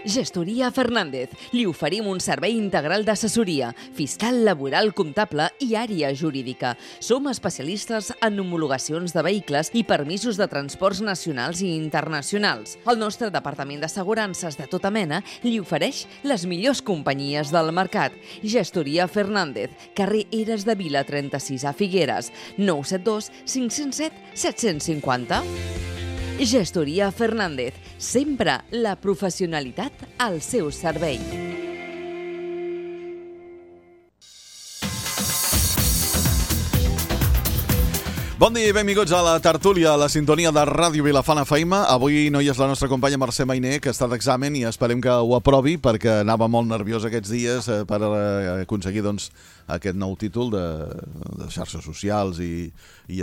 Gestoria Fernández. Li oferim un servei integral d'assessoria, fiscal, laboral, comptable i àrea jurídica. Som especialistes en homologacions de vehicles i permisos de transports nacionals i internacionals. El nostre departament d'assegurances de tota mena li ofereix les millors companyies del mercat. Gestoria Fernández, carrer Eres de Vila 36 a Figueres, 972 507 750. Gestoria Fernández, sempre la professionalitat al seu servei. Bon dia i benvinguts a la tertúlia, a la sintonia de Ràdio Vilafant FM. Avui no hi és la nostra companya Mercè Mainer, que està d'examen, i esperem que ho aprovi, perquè anava molt nerviós aquests dies per aconseguir aquest nou títol de xarxes socials i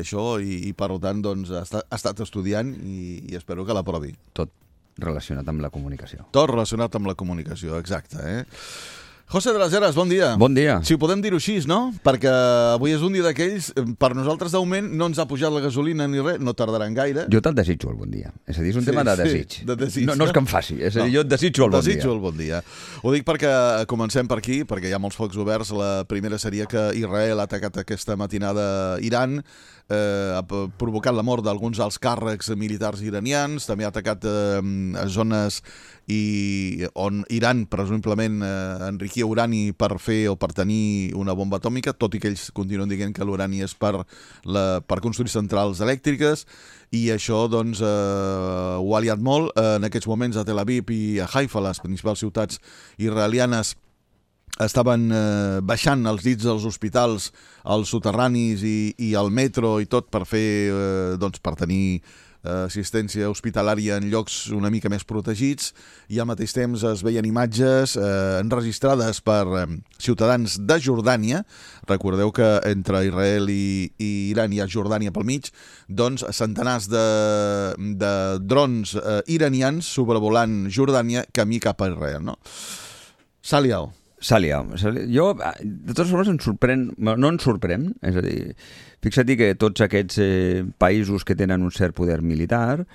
això, i per tant ha estat estudiant i espero que l'aprovi. Tot relacionat amb la comunicació. Tot relacionat amb la comunicació, exacte, José de las Heras, bon dia. Bon dia. Si ho podem dir-ho així, no? Perquè avui és un dia d'aquells, per nosaltres d'augment no ens ha pujat la gasolina ni res, no tardaran gaire. Jo te'l desitjo el bon dia. És a dir, és un tema de desig. De desig. No és que em faci, és a dir, jo et desitjo el bon dia. Desitjo el bon dia. Ho dic perquè comencem per aquí, perquè hi ha molts focs oberts. La primera seria que Israel ha atacat aquesta matinada Iran, ha provocat la mort d'alguns alts càrrecs militars iranians, també ha atacat zones on Iran presumiblement enriquia urani per fer o per tenir una bomba atòmica, tot i que ells continuen dient que l'urani és per construir centrals elèctriques, i això ho ha liat molt. En aquests moments a Tel Aviv i a Haifa, les principals ciutats israelianes, estaven baixant els llits dels hospitals, als soterranis i al metro i tot per fer, per tenir assistència hospitalària en llocs una mica més protegits, i al mateix temps es veien imatges enregistrades per ciutadans de Jordània. Recordeu que entre Israel i Iran hi ha Jordània pel mig, centenars de drons iranians sobrevolant Jordània camí cap a Israel, no? S'ha liat. Jo, de totes formes, no ens sorprèn, és a dir, fixa't que tots aquests països que tenen un cert poder militar,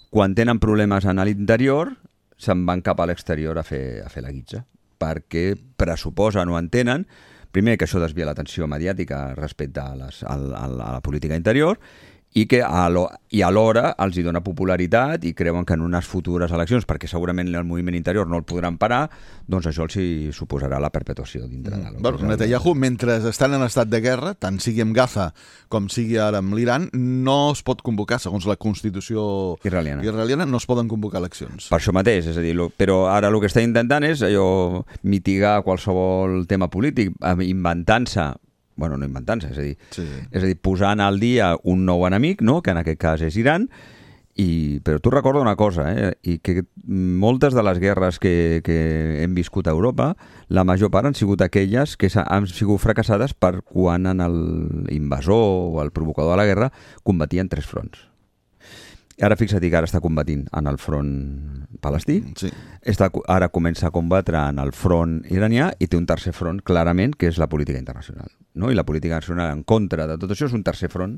quan tenen problemes a l'interior, se'n van cap a l'exterior a fer la guitza, perquè pressuposen o entenen, primer, que això desvia l'atenció mediàtica respecte a la política interior, i que alhora els hi dona popularitat i creuen que en unes futures eleccions, perquè segurament el moviment interior no el podran parar, doncs això els hi suposarà la perpetuació dintre de l'Europa. Netanyahu, mentre estan en estat de guerra, tant sigui amb Gaza com sigui ara amb l'Iran, no es pot convocar, segons la Constitució israeliana, no es poden convocar eleccions. Per això mateix, és a dir, però ara el que està intentant és mitigar qualsevol tema polític, inventant-se, és a dir, posant al dia un nou enemic, no? Que en aquest cas és Iran, però tu recorda una cosa, i que moltes de les guerres que hem viscut a Europa, la major part han sigut aquelles que han sigut fracassades per quan l'invasor o el provocador de la guerra combatien tres fronts. Ara fixa't que ara està combatint en el front palestí, ara comença a combatre en el front iranià i té un tercer front, clarament, que és la política internacional. No? I la política internacional en contra de tot això és un tercer front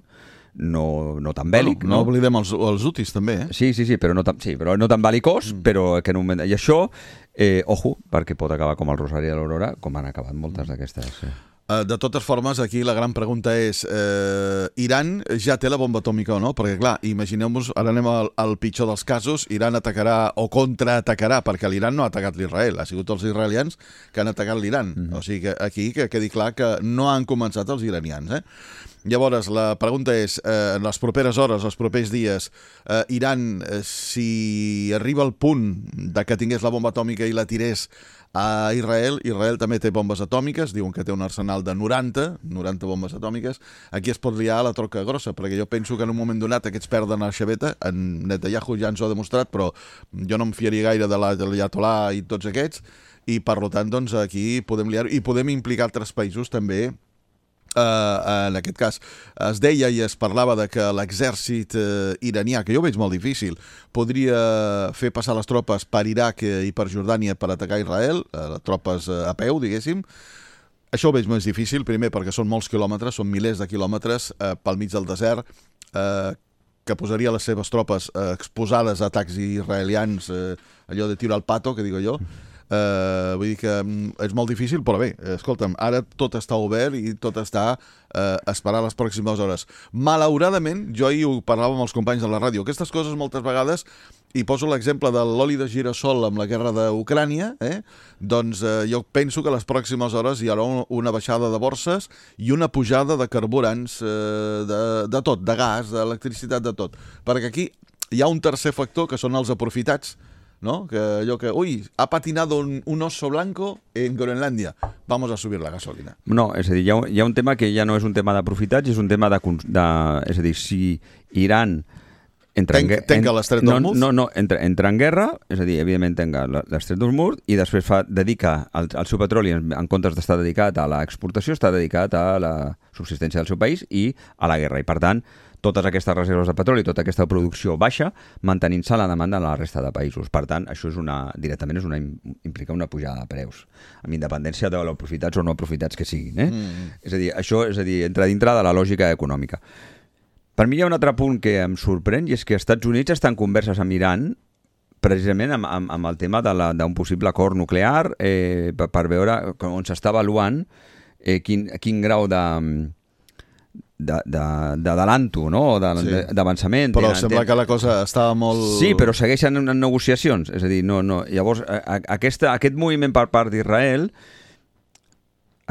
no tan bèl·lic. No oblidem els hutis, també. Sí, però no tan bel·licós, però que en un moment... I això, ojo, perquè pot acabar com el Rosari de l'Aurora, com han acabat moltes d'aquestes... De totes formes, aquí la gran pregunta és Iran ja té la bomba atòmica o no? Perquè, clar, imagineu-vos, ara anem al pitjor dels casos, Iran atacarà o contraatacarà, perquè l'Iran no ha atacat l'Israel, ha sigut els israelians que han atacat l'Iran. O sigui que aquí que quedi clar que no han començat els iranians. Llavors, la pregunta és, en les properes hores, els propers dies, Iran, si arriba al punt de que tingués la bomba atòmica i la tirés a Israel també té bombes atòmiques, diuen que té un arsenal de 90 bombes atòmiques. Aquí es pot liar a la troca grossa, perquè jo penso que en un moment donat aquests perden la xaveta. En Netanyahu ja ens ho ha demostrat, però jo no em fiaria gaire de l'Ayatollah i tots aquests, i per tant aquí podem liar i podem implicar altres països també. En aquest cas es deia i es parlava de que l'exèrcit iranià, que jo veig molt difícil, podria fer passar les tropes per Iraq i per Jordània per atacar Israel, tropes a peu, diguéssim. Això ho veig més difícil, primer perquè són molts quilòmetres, són milers de quilòmetres pel mig del desert, que posaria les seves tropes exposades a atacs israelians, allò de tiro al pato, que digo jo. Vull dir que és molt difícil, però bé, escolta'm, ara tot està obert i tot està a esperar les pròximes hores. Malauradament, jo ahir ho parlava amb els companys de la ràdio, aquestes coses moltes vegades, i poso l'exemple de l'oli de girassol amb la guerra d'Ucrània, doncs jo penso que les pròximes hores hi haurà una baixada de borses i una pujada de carburants, de tot, de gas, d'electricitat, de tot. Perquè aquí hi ha un tercer factor, que són els aprofitats, ¿no? Que allò que, ha patinado un oso blanco en Groenlàndia, vamos a subir la gasolina. No, és a dir, hi ha un tema que ja no és un tema d'aprofitats, és un tema és a dir, si Iran tenga l'estret d'Hormuz? No, entra en guerra, és a dir, evidentment tenga l'estret d'Hormuz i després dedica el seu petroli, en comptes d'estar dedicat a l'exportació, està dedicat a la subsistència del seu país i a la guerra. I per tant, totes aquestes reserves de petroli, tota aquesta producció baixa, mantenint-se la demanda en la resta de països. Per tant, això directament implica una pujada de preus, amb independència de l'aprofitats o no aprofitats que siguin. És a dir, això entra dintre de la lògica econòmica. Per mi hi ha un altre punt que em sorprèn, i és que els Estats Units estan en converses amb Iran precisament amb el tema d'un possible acord nuclear, per veure on s'està avaluant quin grau d'adelanto, no? D'avançament. Però sembla que la cosa estava molt... Sí, però segueixen en negociacions. És a dir, no. Llavors, aquest moviment per part d'Israel,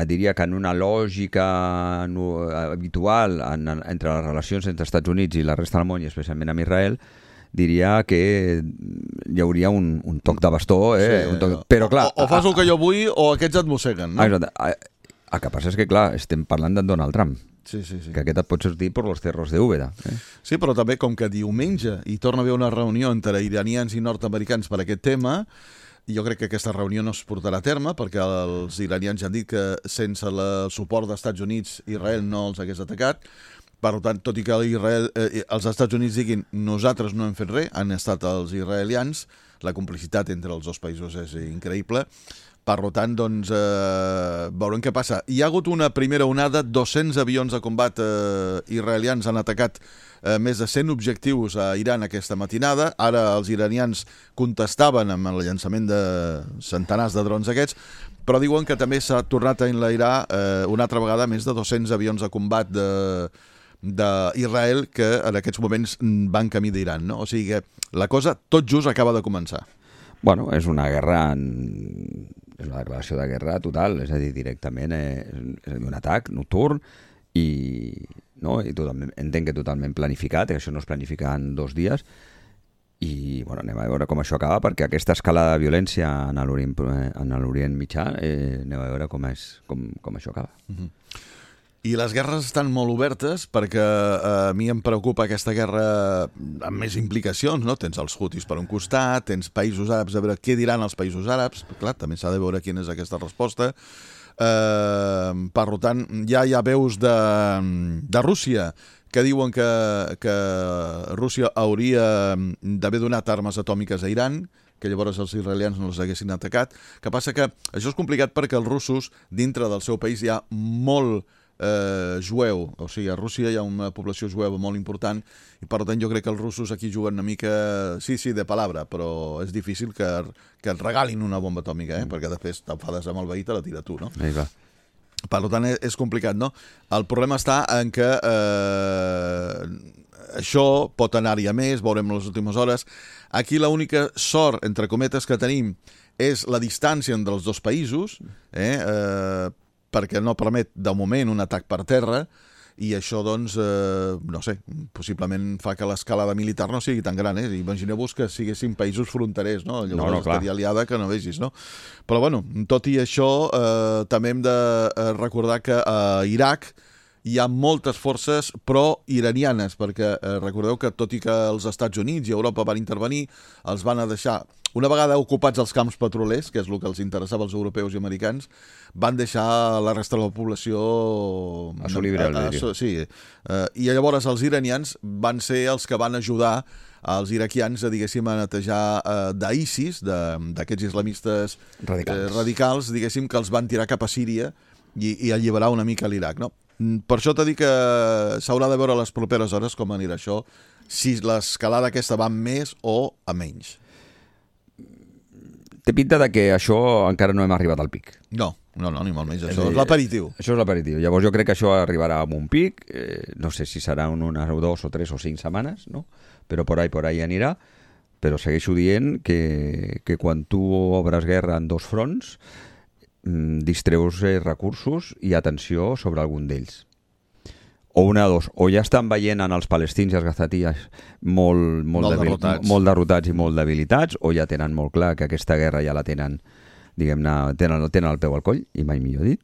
diria que en una lògica habitual entre les relacions entre Estats Units i la resta del món, i especialment amb Israel, diria que hi hauria un toc de bastó, però clar... O fas el que jo vull o aquests et mosseguen, no? Exacte. El que passa és que, clar, estem parlant d'en Donald Trump. Sí. Que aquest et pot sortir per los cerros de Úbeda. Sí, però també com que diumenge hi torna a haver una reunió entre iranians i nord-americans per aquest tema, i jo crec que aquesta reunió no es portarà a terme perquè els iranians ja han dit que sense el suport dels Estats Units Israel no els hagués atacat. Per tant, tot i que els Estats Units diguin nosaltres no hem fet res, han estat els israelians, la complicitat entre els dos països és increïble. Per tant, doncs, veurem què passa. Hi ha hagut una primera onada, 200 avions de combat israelians han atacat més de 100 objectius a Iran aquesta matinada. Ara els iranians contestaven amb el llançament de centenars de drons aquests, però diuen que també s'ha tornat a enlairar una altra vegada més de 200 avions de combat d'Israel que en aquests moments van camí d'Iran, no? O sigui que la cosa tot just acaba de començar. Bueno, és una guerra... És una declaració de guerra total, és a dir, directament és un atac nocturn i entenc que totalment planificat, que això no es planifica en 2 dies, i bueno, anem a veure com això acaba, perquè aquesta escala de violència en l'Orient Mitjà, anem a veure com això acaba. I les guerres estan molt obertes perquè a mi em preocupa aquesta guerra amb més implicacions, no? Tens els Houthis per un costat, tens països àrabs, a veure què diran els països àrabs, clar, també s'ha de veure quina és aquesta resposta. Per tant, ja hi ha veus de Rússia que diuen que Rússia hauria d'haver donat armes atòmiques a Iran, que llavors els israelians no els haguessin atacat. Que passa que això és complicat perquè els russos, dintre del seu país, hi ha molt jueu, o sigui, a Rússia hi ha una població jueva molt important i per tant jo crec que els russos aquí juguen una mica, sí, de palabra, però és difícil que et regalin una bomba atòmica, perquè després t'enfades amb el veí i te la tira tu, no? Per tant és complicat, no? El problema està en que això pot anar-hi a més, veurem les últimes hores. Aquí l'única sort, entre cometes, que tenim és la distància entre els dos països, perquè no permet, de moment, un atac per terra, i això, doncs, no sé, possiblement fa que l'escalada militar no sigui tan gran, Imagineu-vos que siguessin països fronterers, no? Llavors estaria aliada que no vegis, no? Però, bueno, tot i això, també hem de recordar que a Iraq hi ha moltes forces pro-iranianes, perquè recordeu que tot i que els Estats Units i Europa van intervenir, els van deixar, una vegada ocupats els camps petrolers, que és el que els interessava als europeus i americans, van deixar la resta de la població a su libre albedrío. Sí, i llavors els iranians van ser els que van ajudar als iraquians a, diguéssim, a netejar d'ISIS, d'aquests islamistes radicals, diguéssim, que els van tirar cap a Síria i alliberar una mica l'Iraq, no? Per això t'he dit que s'haurà de veure a les properes hores com anirà això si l'escalada aquesta va més o a menys. Té pinta de que això encara no hem arribat al pic. No, ni molt menys. Això és l'aperitiu. Això és l'aperitiu. Llavors jo crec que això arribarà a un pic, no sé si serà unes 2 o 3 o 5 setmanes, no? Però por ahí anirà. Però segueixo dient que quan tu obres guerra en 2 fronts, distreus recursos i atenció sobre algun d'ells. O una de 2, o ja estan veient en els palestins i els gazatíes molt derrotats i molt debilitats, o ja tenen molt clar que aquesta guerra ja la tenen, diguem-ne, tenen el peu al coll, i mai millor dit.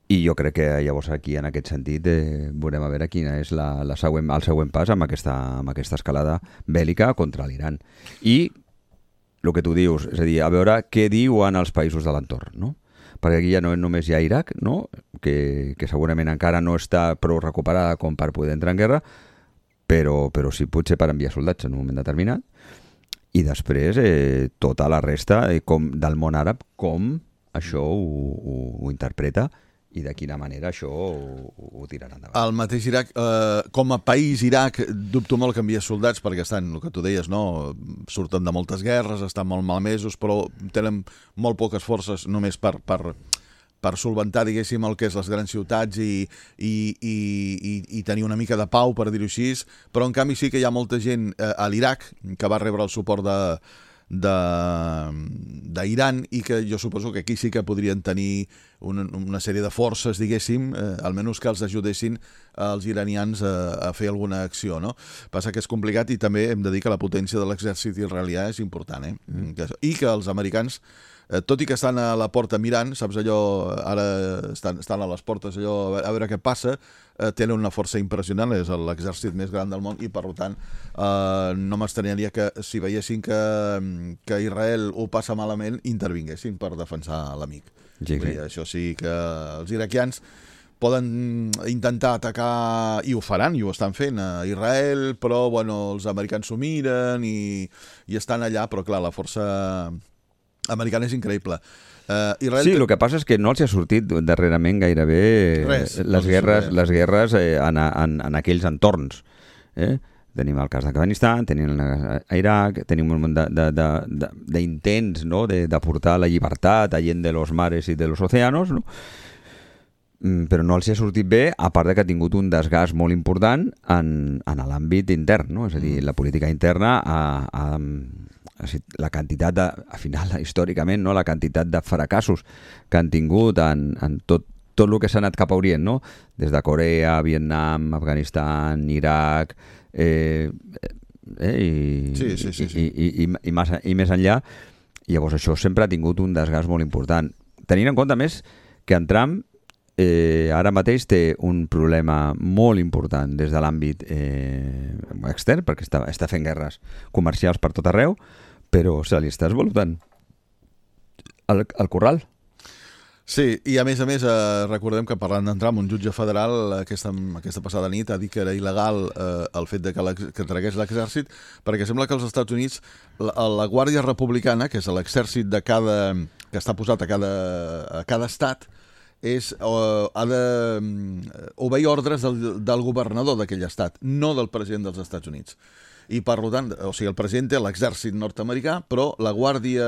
I jo crec que llavors aquí, en aquest sentit, veurem a veure quina és el següent pas amb aquesta escalada bèl·lica contra l'Iran. I el que tu dius, és a dir, a veure què diuen els països de l'entorn, no? Perquè aquí ja no només hi ha Iraq, no? que segurament encara no està prou recuperada com per poder entrar en guerra, però sí potser per enviar soldats en un moment determinat. I després tota la resta del món àrab, com això ho interpreta i de quina manera això ho tirarà endavant. El mateix Iraq, com a país Iraq, dubto molt que envia soldats perquè estan, el que tu deies, no? Surten de moltes guerres, estan molt malmesos, però tenen molt poques forces només per solventar, diguéssim, el que és les grans ciutats i tenir una mica de pau, per dir-ho així, però en canvi sí que hi ha molta gent a l'Iraq que va rebre el suport d'Iran i que jo suposo que aquí sí que podrien tenir una sèrie de forces, diguéssim, almenys que els ajudessin els iranians a fer alguna acció, no? Passa que és complicat i també hem de dir que la potència de l'exèrcit israelià és important, i que els americans, tot i que estan a la porta mirant, saps allò, ara estan a les portes allò, a veure què passa, tenen una força impressionant, és l'exèrcit més gran del món i per tant no m'estranyaria que si veiessin que Israel ho passa malament intervinguessin per defensar l'amic. Sí, sí. Això sí que els iraquians poden intentar atacar, i ho faran, i ho estan fent a Israel, però bueno, els americans s'ho miren i estan allà, però clar, la força americana és increïble. Sí, el que passa és que no els ha sortit darrerament gairebé les guerres en aquells entorns. Tenim el cas d'Afganistan, tenim a Iraq, tenim un munt d'intents, no? de portar la llibertat a gent de los mares i de los océanos, no? Però no els ha sortit bé, a part de que ha tingut un desgast molt important en l'àmbit intern, no? És a dir, la política interna la quantitat al final, històricament, no? La quantitat de fracassos que han tingut en tot el que s'ha anat cap a Orient, no? Des de Corea, Vietnam, Afganistan, Iraq, i més enllà. Llavors això sempre ha tingut un desgast molt important. Tenint en compte, més, que en Trump ara mateix té un problema molt important des de l'àmbit extern, perquè està fent guerres comercials per tot arreu, però se li està esvolutant el corral. Sí, i a més, recordem que parlant d'en Trump, un jutge federal aquesta passada nit ha dit que era il·legal el fet de que tragués l'exèrcit, perquè sembla que als Estats Units la Guàrdia Republicana, que és l'exèrcit que està posat a cada estat, ha d'obeir ordres del governador d'aquell estat, no del president dels Estats Units. I per tant, o sigui, el president té l'exèrcit nord-americà, però la Guàrdia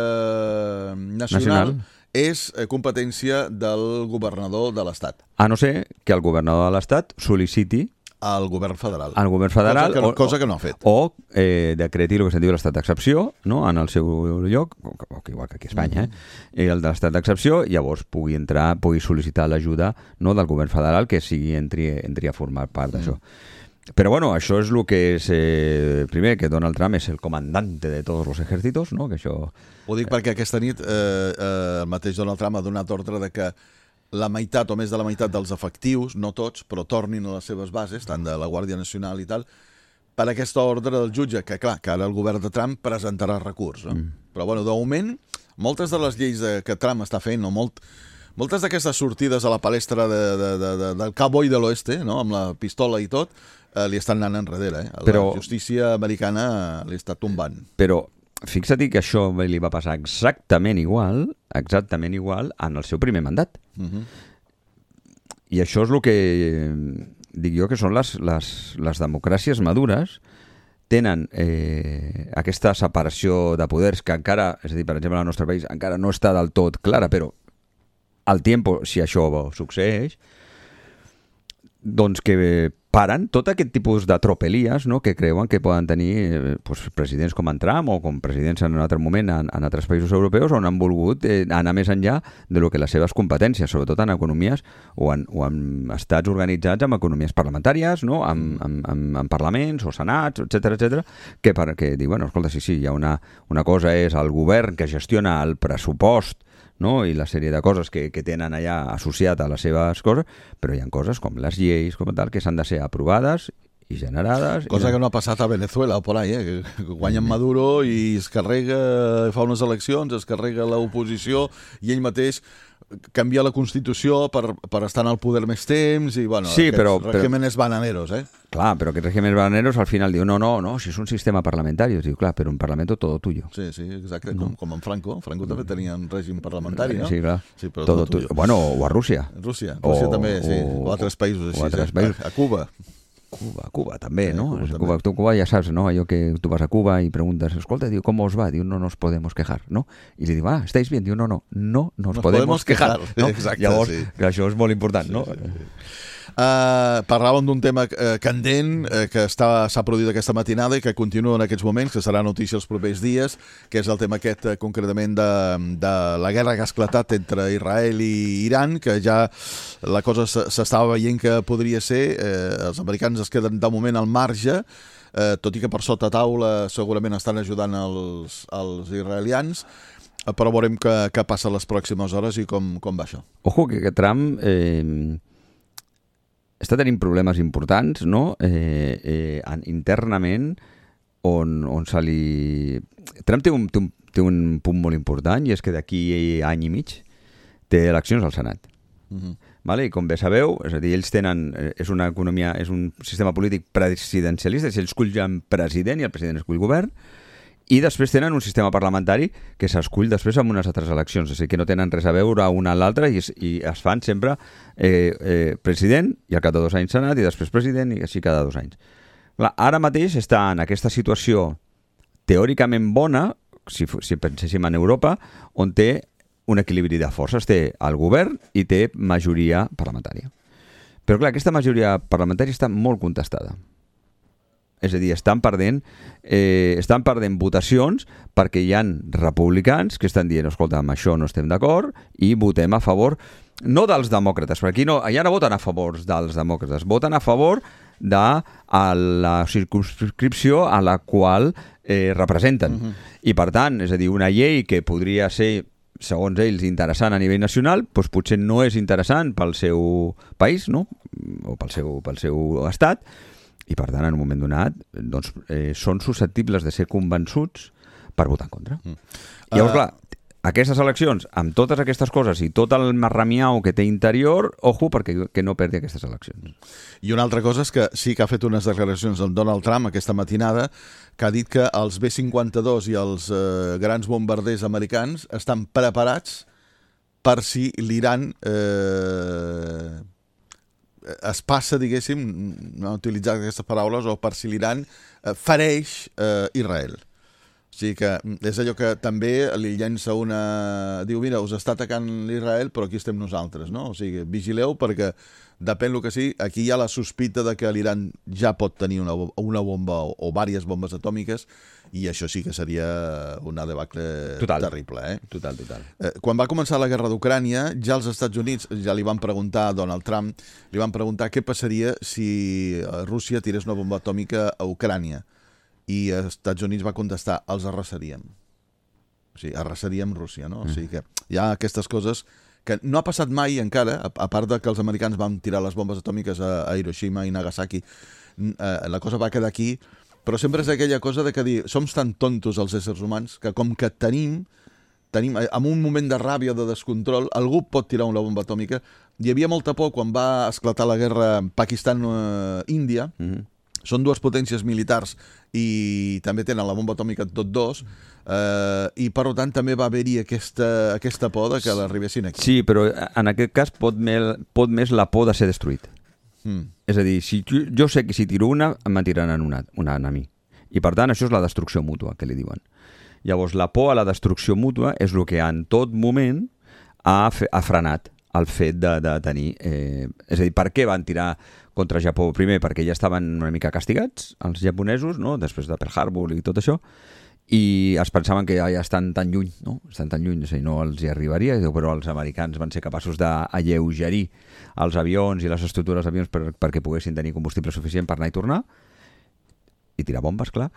Nacional és competència del governador de l'estat. A no ser que el governador de l'estat sol·liciti al govern federal. Al govern federal. Cosa que no ha fet. O decreti el que se'n diu l'estat d'excepció, no? En el seu lloc, igual que aquí a Espanya, el de l'estat d'excepció, llavors pugui sol·licitar l'ajuda, no, del govern federal que entri a formar part d'això. Però bueno, això és el que és, primer, que Donald Trump és el comandante de tots els ejércitos, no? Que això... Ho dic perquè aquesta nit el mateix Donald Trump ha donat ordre de que la meitat o més de la meitat dels efectius, no tots, però tornin a les seves bases, tant de la Guàrdia Nacional i tal, per aquesta ordre del jutge, que clar, que ara el govern de Trump presentarà recurs, no? Però bueno, de moment, moltes de les lleis que Trump està fent, o moltes d'aquestes sortides a la palestra del cowboy de l'oeste, no? Amb la pistola i tot, li estan anant enrere. La justícia americana li està tombant. Però fixa't que això li va passar exactament igual en el seu primer mandat. I això és el que dic jo que són les democràcies madures, tenen aquesta separació de poders que encara, és a dir, per exemple, al nostre país encara no està del tot clara, però al temps, si això succeeix, doncs que paren tot aquest tipus de tropelies, no?, que creuen que poden tenir presidents com en Trump o com presidents en un altre moment en altres països europeus on han volgut anar més enllà de lo que les seves competències, sobretot en economies o en estats organitzats amb economies parlamentàries, no?, amb parlaments o senats, etc, que diuen, escolta, sí, hi ha una cosa és el govern que gestiona el pressupost, no?, i la sèrie de coses que tenen allà associat a les seves coses, però hi ha coses com les lleis, com tal, que s'han de ser aprovades i generades. Cosa que no ha passat a Venezuela o por ahí, que guanyen Maduro i es carrega, fa unes eleccions, es carrega l'oposició i ell mateix canvia la Constitució per estar en el poder més temps i, bueno, sí, aquests regímenes bananeros, Clar, però aquests regímenes bananeros al final diu, no, si és un sistema parlamentari, diu, clar, però un parlamento todo tuyo. Sí, exacte, no? com en Franco. Franco també tenia un règim parlamentari, no? Sí, clar. Sí, però todo tuyo. Bueno, o a Rússia. Rússia també, sí. O altres països així. O altres països. A Cuba. Cuba també, no? Cuba Cuba ja saps, no? Allò que tu vas a Cuba i preguntes, escolta, diu, ¿cómo os va? Diu, no nos podemos quejar, ¿no? I li diu, ¿estáis bien? Diu, no nos podemos quejar. ¿no? Exacte, llavors, sí. Que això és molt important, no? Parlàvem d'un tema candent que s'ha produït aquesta matinada i que continua en aquests moments, que serà notícia els propers dies, que és el tema aquest concretament de la guerra que ha esclatat entre Israel i Iran, que ja la cosa s'estava veient que podria ser, els americans es queden de moment al marge, tot i que per sota taula segurament estan ajudant els israelians, però veurem què passa les pròximes hores i com va això. Ojo, que Trump està tenint problemes importants, no? Internament, on se li... Trump té un punt molt important, i és que d'aquí any i mig té eleccions al Senat. Vale? I com bé sabeu, és a dir, ells tenen... És una economia, és un sistema polític presidencialista, ells escullen president i el president escull govern, i després tenen un sistema parlamentari que s'escull després amb unes altres eleccions, és a dir, que no tenen res a veure una a l'altra i es fan sempre president i al cap de 2 anys Senat i després president i així cada 2 anys. Clar, ara mateix està en aquesta situació teòricament bona, si penséssim en Europa, on té un equilibri de forces, té el govern i té majoria parlamentària. Però clar, aquesta majoria parlamentària està molt contestada. És a dir, estan perdent votacions perquè hi ha republicans que estan dient, escolta, amb això no estem d'acord i votem a favor, no dels demòcrates, perquè aquí ja no voten a favor dels demòcrates, voten a favor de la circumscripció a la qual representen. I per tant, és a dir, una llei que podria ser, segons ells, interessant a nivell nacional, doncs potser no és interessant pel seu país, no? O pel seu estat, i per tant, en un moment donat, doncs, són susceptibles de ser convençuts per votar en contra. Llavors, clar, aquestes eleccions, amb totes aquestes coses i tot el marramiau que té interior, ojo, perquè que no perdi aquestes eleccions. I una altra cosa és que sí que ha fet unes declaracions amb Donald Trump aquesta matinada, que ha dit que els B-52 i els grans bombarders americans estan preparats per si l'Iran es passa, diguéssim, no utilitzar aquestes paraules, o per si l'Iran fereix Israel. O sigui que és allò que també li llença una... Diu, mira, us està atacant l'Israel, però aquí estem nosaltres, no? O sigui, vigileu perquè depèn del que sigui. Aquí hi ha la sospita de que l'Iran ja pot tenir una bomba o diverses bombes atòmiques i això sí que seria una debacle terrible. Total. Quan va començar la guerra d'Ucrània, ja els Estats Units ja li van preguntar a Donald Trump, li van preguntar què passaria si Rússia tirés una bomba atòmica a Ucrània. I els Estats Units va contestar, els arrasaríem. O sigui, arrasaríem Rússia, no? O sigui que hi ha aquestes coses que no ha passat mai encara, a part de que els americans van tirar les bombes atòmiques a Hiroshima i Nagasaki, la cosa va quedar aquí, però sempre és aquella cosa de que dir, som tan tontos els éssers humans que com que tenim en un moment de ràbia o de descontrol, algú pot tirar una bomba atòmica. Hi havia molta por quan va esclatar la guerra Pakistan-Índia. Són dues potències militars i també tenen la bomba atòmica tot dos, i per tant també va haver-hi aquesta por de que l'arribessin aquí. Sí, però en aquest cas pot més la por de ser destruït. És a dir, jo sé que si tiro una, em tiraran una a mi. I per tant, això és la destrucció mútua, que li diuen. Llavors, la por a la destrucció mútua és el que en tot moment ha frenat el fet de tenir... és a dir, per què van tirar contra Japó? Primer, perquè ja estaven una mica castigats, els japonesos, no? Després de Pearl Harbor i tot això, i es pensaven que ja estan tan lluny, no? Estan tan lluny, és a dir, no els hi arribaria, però els americans van ser capaços d'alleugerir els avions i les estructures d'avions perquè poguessin tenir combustible suficient per anar i tornar, i tirar bombes, clar,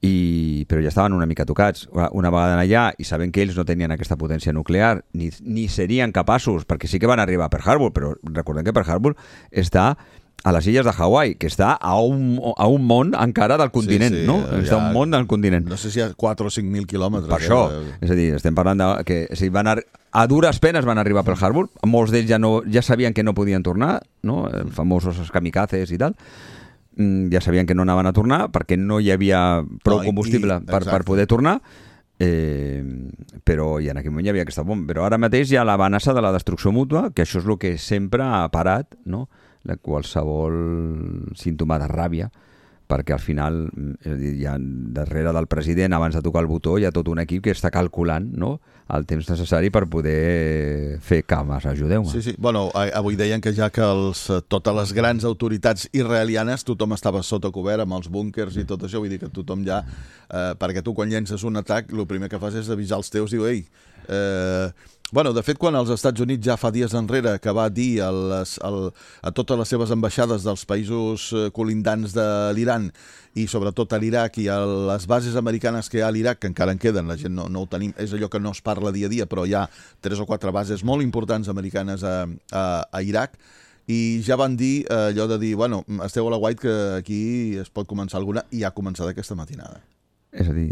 però ja estaven una mica tocats. Una vegada allà, i sabent que ells no tenien aquesta potència nuclear, ni serien capaços, perquè sí que van arribar a Pearl Harbor, però recordem que Pearl Harbor està a les illes de Hawaii, que està a un món encara del continent, no? Està a un món del continent. No sé si hi ha 4 o 5.000 quilòmetres. Per això, és a dir, estem parlant que a dures penes van arribar a Pearl Harbor, molts d'ells ja sabien que no podien tornar, no? Famosos kamikazes i tal, ja sabien que no anaven a tornar perquè no hi havia prou combustible per poder tornar, però i en aquell moment hi havia aquesta bomba. Però ara mateix hi ha l'amenaça de la destrucció mútua, que això és el que sempre ha parat, no? Qualsevol símptoma de ràbia, perquè al final, darrere del president, abans de tocar el botó, hi ha tot un equip que està calculant, no?, el temps necessari per poder fer cames, ajudeu-me. Sí. Bueno, avui deien que ja que totes les grans autoritats israelianes, tothom estava sota cobert amb els búnkers i tot això, vull dir que tothom ja... perquè tu quan llences un atac, el primer que fas és avisar els teus, diu, ei... Bueno, de fet, quan els Estats Units ja fa dies enrere que va dir a totes les seves ambaixades dels països colindants de l'Iran i sobretot a l'Iraq i a les bases americanes que hi ha a l'Iraq, que encara en queden, la gent no ho tenim, és allò que no es parla dia a dia, però hi ha 3 o 4 bases molt importants americanes a Iraq, i ja van dir allò de dir, bueno, esteu a la guait que aquí es pot començar alguna, i ha començat aquesta matinada. És a dir,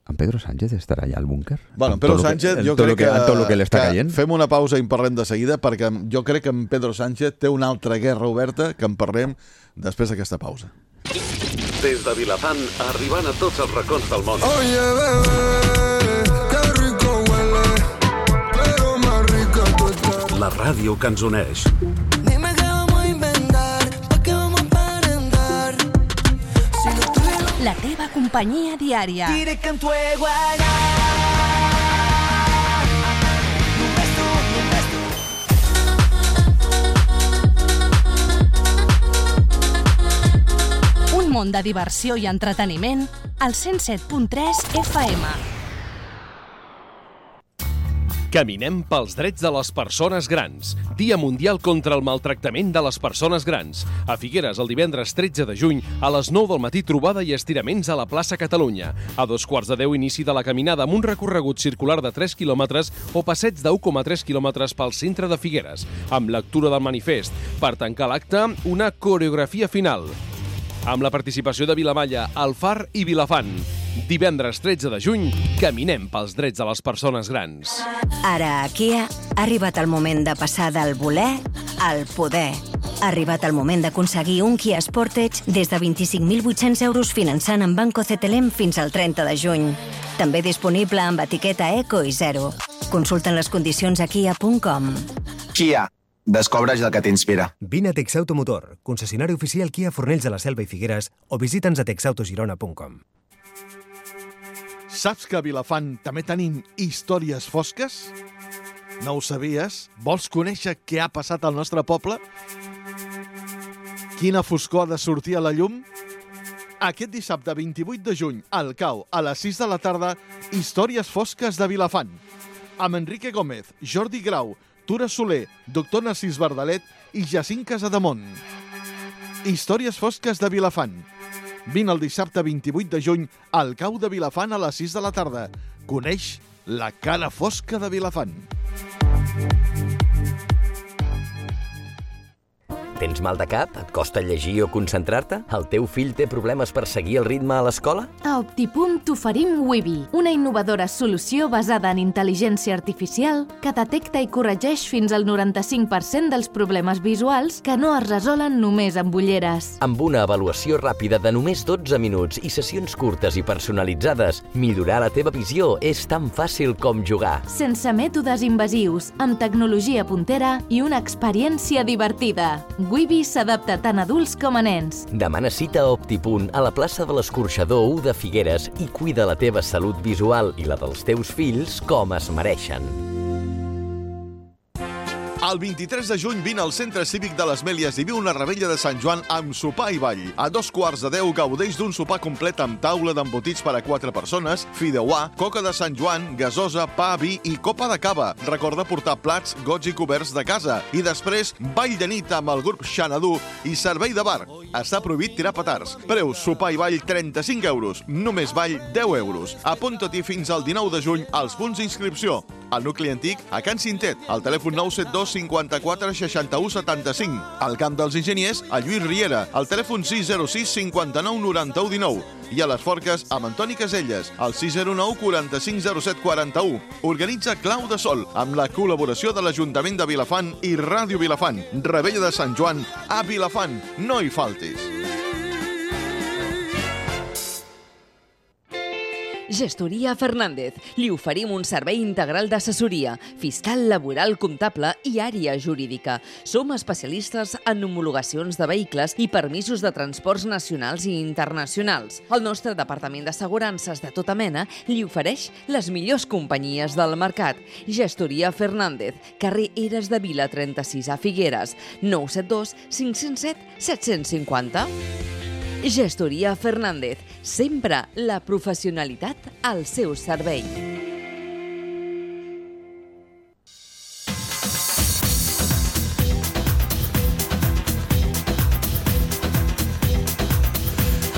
en Pedro Sánchez estarà allà al búnquer? Bueno, en Pedro Sánchez, jo crec que fem una pausa i en parlem de seguida, perquè jo crec que en Pedro Sánchez té una altra guerra oberta que en parlem després d'aquesta pausa. Des de Vilafant, arribant a tots els racons del món. Oye, bebé, que rico huele, pero más rica tú estás. La ràdio que ens uneix. Dime qué vamos a inventar, pa' qué vamos a aparentar. Si no tuvieron... La teva companyia diària. Diré que en tu igualdad. Un món de diversió i entreteniment al 107.3 FM. Caminem pels drets de les persones grans. Dia Mundial contra el maltractament de les persones grans. A Figueres, el divendres 13 de juny, a les 9 del matí, trobada i estiraments a la plaça Catalunya. A 2:15, inici de la caminada amb un recorregut circular de 3 quilòmetres o passeig de 1,3 quilòmetres pel centre de Figueres, amb lectura del manifest. Per tancar l'acte, una coreografia final. Amb la participació de Vilamalla, El Far i Vilafant. Divendres 13 de juny, caminem pels drets de les persones grans. Ara a Kia ha arribat el moment de passar del voler al poder. Ha arribat el moment d'aconseguir un Kia Sportage des de 25.800 euros finançant en Banco CTLM fins al 30 de juny. També disponible amb etiqueta Eco i Zero. Consulten les condicions a kia.com. Kia. Descobreix el que t'inspira. Vine a Texauto Motor, concessionari oficial Kia Fornells de la Selva i Figueres, o visita'ns a texautogirona.com. Saps que a Vilafant també tenim històries fosques? No ho sabies? Vols conèixer què ha passat al nostre poble? Quina foscor ha de sortir a la llum? Aquest dissabte 28 de juny, al CAU, a les 6 de la tarda, Històries fosques de Vilafant. Amb Enrique Gómez, Jordi Grau, Tura Soler, Doctor Narcís Verdalet i Jacint Casademont. Històries fosques de Vilafant. Vine el dissabte 28 de juny al CAU de Vilafant a les 6 de la tarda. Coneix la cara fosca de Vilafant. Tens mal de cap? Et costa llegir o concentrar-te? El teu fill té problemes per seguir el ritme a l'escola? A Optipunt t'oferim Wibi, una innovadora solució basada en intel·ligència artificial que detecta i corregeix fins al 95% dels problemes visuals que no es resolen només amb ulleres. Amb una avaluació ràpida de només 12 minuts i sessions curtes i personalitzades, millorar la teva visió és tan fàcil com jugar. Sense mètodes invasius, amb tecnologia puntera i una experiència divertida. Wibi s'adapta tant a adults com a nens. Demana cita a Optipunt a la plaça de l'Escorxador 1 de Figueres i cuida la teva salut visual i la dels teus fills com es mereixen. El 23 de juny vine al Centre Cívic de les Mèlies i viu una rebella de Sant Joan amb sopar i ball. A 2:15 gaudeix d'un sopar complet amb taula d'embotits per a 4 persones, fideuà, coca de Sant Joan, gasosa, pa, vi i copa de cava. Recorda portar plats, gots i coberts de casa. I després, ball de nit amb el grup Xanadu i servei de bar. Està prohibit tirar petards. Preu sopar i ball 35 euros. Només ball 10 euros. Apunta-t'hi fins al 19 de juny als punts d'inscripció. Al nucli antic, a Can Cintet, al telèfon 972 54 61 75. Al Camp dels Enginyers, a Lluís Riera, al telèfon 606 59 91 19. I a les Forques, amb Antoni Caselles, al 609 45 07 41. Organitza Clau de Sol, amb la col·laboració de l'Ajuntament de Vilafant i Ràdio Vilafant. Rebella de Sant Joan a Vilafant. No hi faltis. Gestoria Fernández. Li oferim un servei integral d'assessoria, fiscal, laboral, comptable i àrea jurídica. Som especialistes en homologacions de vehicles i permisos de transports nacionals i internacionals. El nostre departament d'assegurances de tota mena li ofereix les millors companyies del mercat. Gestoria Fernández, carrer Eres de Vila 36 a Figueres, 972 507 750. Gestoria Fernández, sempre la professionalitat al seu servei.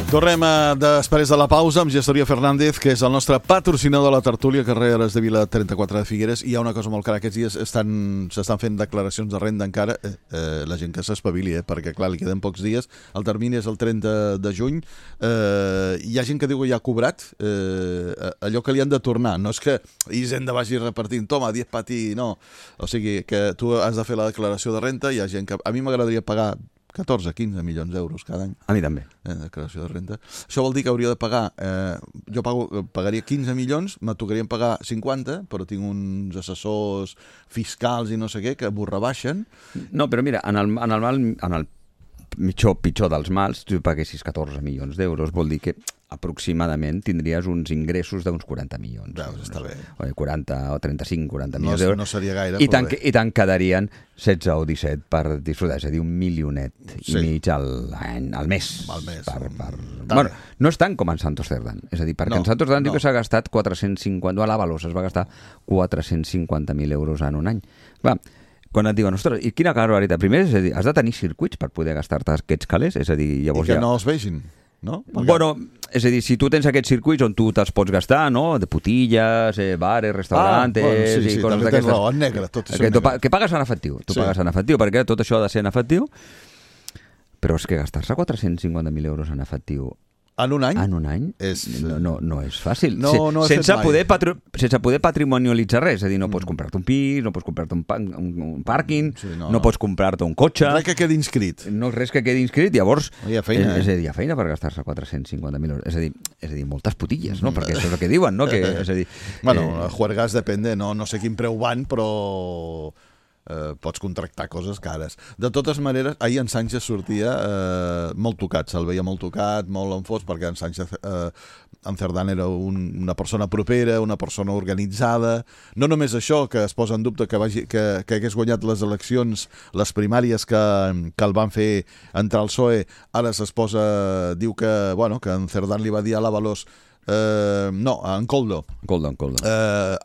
Tornem després de la pausa amb Gestoria Fernández, que és el nostre patrocinador de la tertúlia, carrer Eres de Vila 34 de Figueres. I hi ha una cosa molt clara, aquests dies s'estan fent declaracions de renda encara. La gent que s'espavili, perquè clar, li queden pocs dies. El termini és el 30 de juny. Hi ha gent que diu que ja ha cobrat allò que li han de tornar. No és que Hisenda vagi repartint, toma, 10 pati, no. O sigui, que tu has de fer la declaració de renta. Hi ha gent que... A mi m'agradaria pagar 14, 15 milions d'euros cada any. A mi també. Declaració de renta. Això vol dir que hauria de pagar... Jo pagaria 15 milions, me tocarien pagar 50, però tinc uns assessors fiscals i no sé què que m'ho rebaixen. No, però mira, en el pitjor dels mals, si tu paguessis 14 milions d'euros, vol dir que aproximadament tindries uns ingressos d'uns 40 milions. Veus, està bé. 40 o 35, 40 milions d'euros. No seria gaire, però bé. I te'n quedarien 16 o 17 per disfrutar, és a dir, 1,5 milionet i mig al mes. Al mes. Bueno, no és tant com en Santos Cerdán. És a dir, perquè en Santos Cerdán diu que s'ha gastat 450... A l'Avalos es va gastar 450.000 euros en un any. Clar, quan et diuen, ostres, i quina barbaritat. Primer, és a dir, has de tenir circuits per poder gastar-te aquests calés, és a dir, llavors I que no els vegin, no? Bueno, és a dir, si tu tens aquests circuits on tu te'ls pots gastar, no? De putilles, bares, restaurantes... Sí, coses també tens raó, en negre, tot això negre. Que pagues en efectiu, pagues en efectiu, perquè tot això ha de ser en efectiu, però és que gastar-se 450.000 euros en efectiu en un any? En un any? No és fàcil. No sense poder patrimonialitzar res. És a dir, no pots comprar-te un pis, no pots comprar-te un pàrquing, no pots comprar-te un cotxe... Res que quedi inscrit. No, res que quedi inscrit, llavors... Hi ha feina, És a dir, hi ha feina per gastar-se 450.000 euros. És a dir, moltes putilles, no? Perquè això és el que diuen, no? És a dir... Bueno, juergas depende, no sé quin preu van, però... pots contractar coses cares. De totes maneres, ahir en Sánchez sortia molt tocat, se'l veia molt tocat, molt enfós, perquè en Sánchez, en Cerdán era una persona propera, una persona organitzada. No només això, que es posa en dubte que hagués guanyat les eleccions, les primàries que el van fer entrar al PSOE, ara diu que en Cerdán li va dir a l'Avalos no, en Coldo.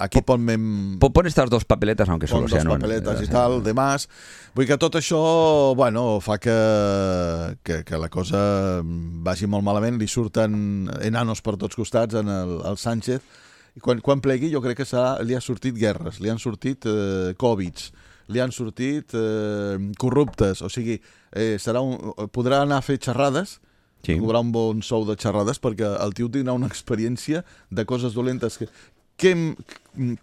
Aquí ponme... Pon estas dos papeletas, aunque solo sean... Pon dos papeletas i tal, demás. Vull que tot això, fa que la cosa vagi molt malament. Li surten enanos per tots costats al Sánchez. I quan plegui jo crec que li ha sortit guerres, li han sortit Covids, li han sortit corruptes. O sigui, podrà anar a fer xerrades, cobrar un bon sou de xerrades, perquè el tio tindrà una experiència de coses dolentes.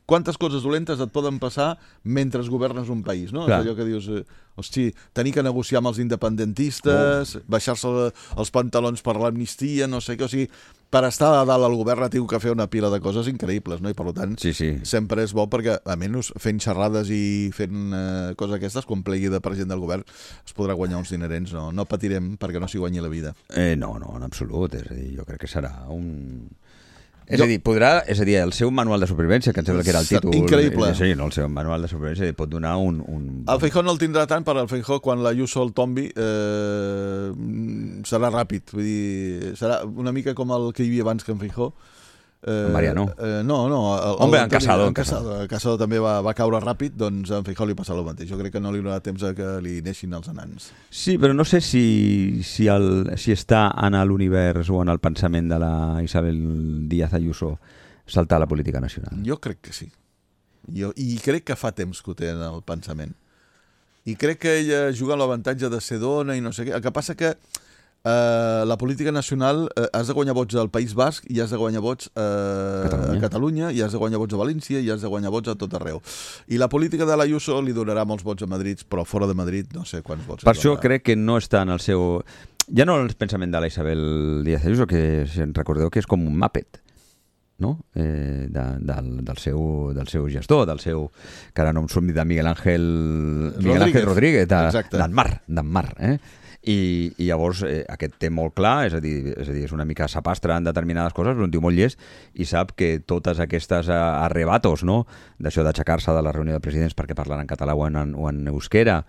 Quantes coses dolentes et poden passar mentre governes un país, no? És allò que dius, hosti, tenir que negociar amb els independentistes, baixar-se els pantalons per l'amnistia, no sé què, o sigui, per estar a dalt al govern ha tingut que fer una pila de coses increïbles, no? I per tant sempre és bo perquè, a menys fent xerrades i fent coses aquestes, quan plegui de president del govern es podrà guanyar uns dinerents, no patirem perquè no s'hi guanyi la vida. No, en absolut, és a dir, jo crec que serà un... És a dir, el seu manual de supervivència, que em sembla que era el títol... Increïble. Sí, no, el seu manual de supervivència pot donar un... El Feijóo no el tindrà tant, però el Feijóo, quan l'Ayuso el tombi, serà ràpid. Vull dir, serà una mica com el que hi havia abans que en Feijóo. Mariano. No. Home, en Casado. Casado també va caure ràpid, doncs en Feijóo li passa el mateix. Jo crec que no li donarà temps que li neixin els anans. Sí, però no sé si està en l'univers o en el pensament de la Isabel Díaz Ayuso saltar a la política nacional. Jo crec que sí. I crec que fa temps que ho té en el pensament. I crec que ella juga amb l'avantatge de ser dona i no sé què. El que passa que la política nacional has de guanyar vots al País Basc i has de guanyar vots a Catalunya i has de guanyar vots a València i has de guanyar vots a tot arreu. I la política de l'Ayuso li donarà molts vots a Madrid, però fora de Madrid no sé quants vots. Per això crec que no està en el seu... Ja no el pensament de la Isabel Díaz Ayuso, que si en recordeu que és com un Muppet, no? Del seu gestor, que ara no em surt de Miguel Ángel Rodríguez, d'en Mar, I llavors aquest té molt clar, és a dir, és una mica sapastre en determinades coses, però un tio molt llest i sap que totes aquestes arrebatos, no? D'això d'aixecar-se de la reunió de presidents perquè parlen en català o en euskera,